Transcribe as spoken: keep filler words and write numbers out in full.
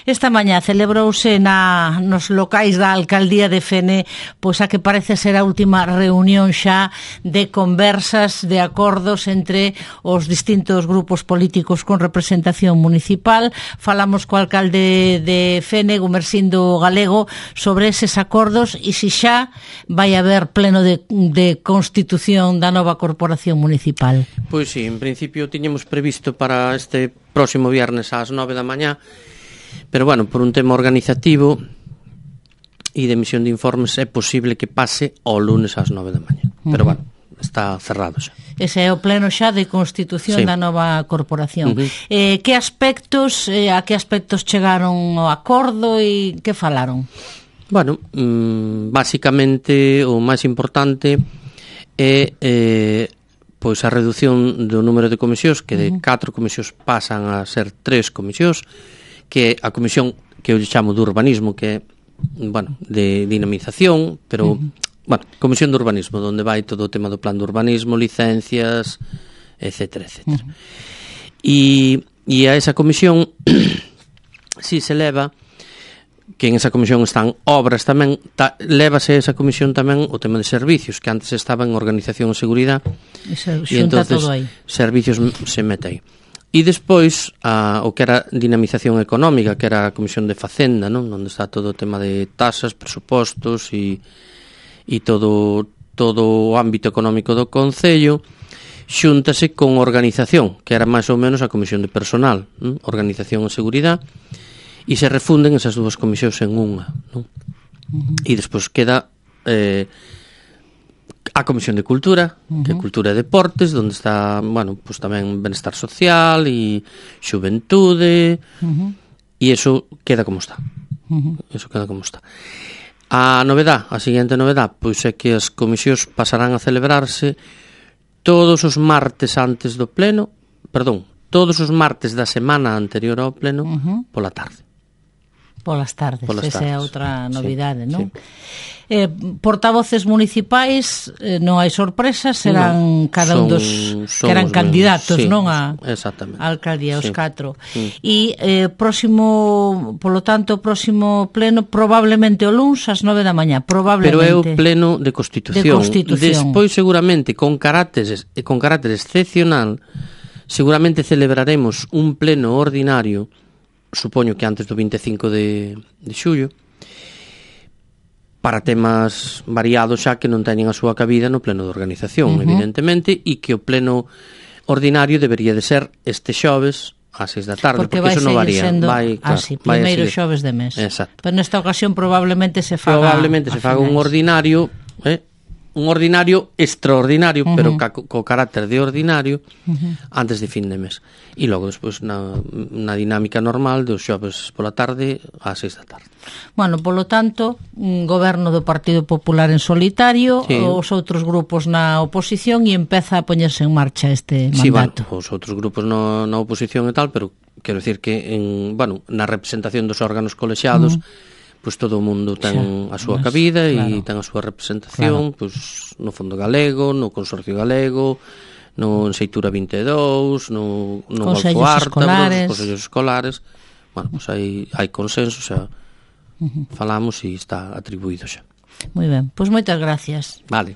Esta mañá celebrouse na, nos locais da Alcaldía de Fene pois a que parece ser a última reunión xa de conversas, de acordos entre os distintos grupos políticos con representación municipal. Falamos co alcalde de Fene, Gumersindo Galego, sobre eses acordos e se xa vai haber pleno de, de constitución da nova corporación municipal. Pois sí, en principio tiñamos previsto para este próximo viernes ás nove da mañá, pero bueno, por un tema organizativo e de emisión de informes é posible que pase ao lunes ás nove da mañá. Pero bueno, está cerrado xa. Ese é o pleno xa de constitución sí. da nova corporación. Uh-huh. Eh, que aspectos, eh, a que aspectos chegaron ao acordo e que falaron? Bueno, mmm, basicamente o máis importante é eh, pois a reducción do número de comisións, que de uh-huh. catro comisións pasan a ser tres comisións, que a comisión que eu chamo de urbanismo, que é, bueno, de dinamización, pero, uh-huh. bueno, comisión de urbanismo, onde vai todo o tema do plan de urbanismo, licencias, etcétera, etcétera. Uh-huh. E, e a esa comisión, si se leva, que en esa comisión están obras tamén, ta, lévase esa comisión tamén o tema de servicios, que antes estaba en organización e seguridade, e entonces todo aí. Servicios se mete aí. E despois, a, o que era dinamización económica, que era a Comisión de Facenda, non? Onde está todo o tema de tasas, presupostos e, e todo, todo o ámbito económico do Concello, xúntase con organización, que era máis ou menos a Comisión de Personal, non? Organización e Seguridade, e se refunden esas dúas comisións en unha, non? Uh-huh. E despois queda... Eh, a Comisión de Cultura, uh-huh. que é Cultura e Deportes, onde está, bueno, pues tamén Benestar Social e Xuventude, uh-huh. e iso queda como está. Uh-huh. Eso queda como está. A novedad, a seguinte novedad, pois é que as comisións pasarán a celebrarse todos os martes antes do pleno, perdón, todos os martes da semana anterior ao pleno, uh-huh. pola tarde. Polas tardes, Polas esa tardes. é outra novidade, Sí, non? sí. Eh, portavoces municipais, eh, non hai sorpresas, serán no, cada un dos que eran candidatos, sí, non? A, a alcaldía, os sí. catro. Sí. E eh, próximo, polo tanto, próximo pleno, probablemente o luns ás nove da mañá, probablemente. Pero é o pleno de Constitución. De Constitución. Despois, seguramente, con carácter, con carácter excepcional, seguramente celebraremos un pleno ordinario, supoño que antes do vinte e cinco de, de xullo, para temas variados xa que non teñen a súa cabida no pleno de organización, uh-huh. evidentemente, e que o pleno ordinario debería de ser este xoves ás seis da tarde, porque, porque iso non varía. Sendo vai, claro, así, primeiro xoves de mes. Exacto. Pero nesta ocasión probablemente se faga Probablemente se faga un ordinario, eh, un ordinario extraordinario, uh-huh. pero ca, co carácter de ordinario, uh-huh. antes de fin de mes. E logo, despois, na, na dinámica normal dos xoves pola tarde ás seis da tarde. Bueno, polo tanto, un goberno do Partido Popular en solitario, sí. os outros grupos na oposición, e empeza a poñerse en marcha este sí, mandato. Sí, bueno, os outros grupos no, na oposición e tal, pero quero dicir que en, bueno, na representación dos órganos colexiados, uh-huh. pois todo o mundo ten xa, a súa mas, cabida claro. e ten a súa representación, claro. pois no Fondo Galego, no Consorcio Galego, no Enseitura vinte e dous, no, no Golfo Ártabros, os consellos escolares. Bueno, pois hai, hai consenso, xa uh-huh. falamos e está atribuído xa. Moi ben, pois moitas gracias. Vale.